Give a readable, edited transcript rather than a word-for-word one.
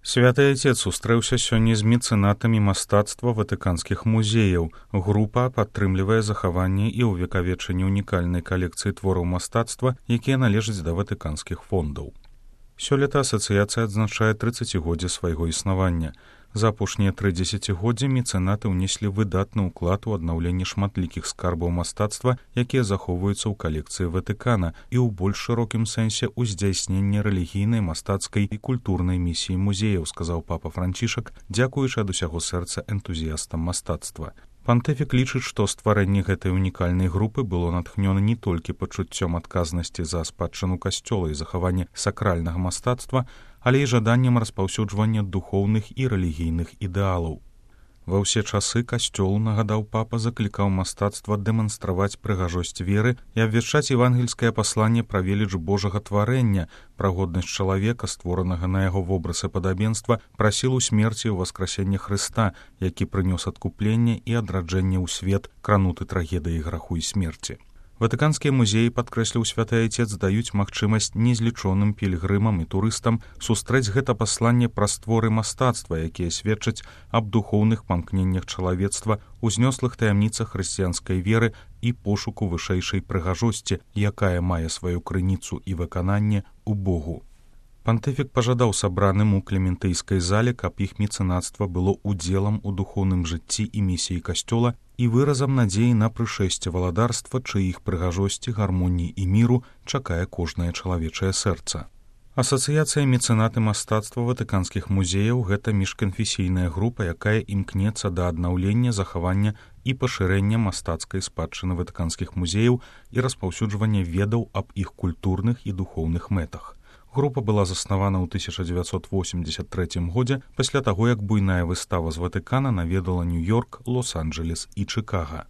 Святы Отец сустрэўся сёння з мецэнатамі мастацтва ватыканскіх музеяў. Група падтрымлівае захаванне і ўвекавечанне унікальнай калекцыі твораў мастацтва, якія належаць да ватыканскіх фондаў. Сёлета асацыяцыя адзначае 30годдзе свайго існавання. За апошнія 3 дзесяцігоддзі мецэнаты ўнеслі выдатны ўклад у аднаўленне шматлікіх скарбаў мастацтва, якія захоўваюцца ў калекцыі Ватыкана і ў больш шырокім сэнсе ў здзяйсненне рэлігійнай, мастацкай і культурнай місіі музеяў, сказаў папа Францішак, дзякуючы ад усяго сэрца энтузіястам мастацтва. Пантыфік лічыць, што стварэнне гэтай унікальнай групы было натхнёна не толькі пачуццём адказнасці за спадчыну касцёла і захаванне сакральнага мастацтва, але і жаданнем распаўсюджвання духоўных і рэлігійных ідэалаў. Ва ўсе часы касцёл, нагадаў папа, заклікаў мастацтва дэманстраваць прыгажосць веры і абвяшчаць евангельскае пасланне пра веліч Божага тварэння, пра годнасць чалавека, створанага на яго вобраз і падабенства, пра сілу смерці ў васкрасенне Хрыста, які прынёс адкупленне і адраджэнне ў свет, крануты трагедыяй граху і смерці. Ватыканскія музеі, падкрэсліў святы Отец, даюць магчымасць незлічоным пільгрымам і турыстам сустрэць гэта пасланне праз творы мастацтва, якія сведчаць аб духоўных памкненнях чалавецтва, узнёслых таямніцах хрысціянскай веры і пошуку вышэйшай прыгажосці, якая мае сваю крыніцу і выкананне ў Богу. Пантыфік пажадаў сабраным у Клементыйскай зале, каб іх мецэнацтва было удзелам у духоўным жыцці і місіі касцёла і выразам надзеі на прышэсце валадарства, чыіх прыгажосці, гармоніі і міру чакае кожнае чалавечае сэрца. Асацыяцыя мецэнаты мастацтва ватыканскіх музеяў – гэта міжканфесійная група, якая імкнецца да аднаўлення, захавання і пашырэння мастацкай спадчыны ватыканскіх музеяў і распаўсюджвання ведаў аб іх культурных і духоўных мэтах. Група была заснавана ў 1983 годзе пасля таго, як буйная выстава з Ватыкана наведала Нью-Йорк, Лос-Анджелес і Чыкага.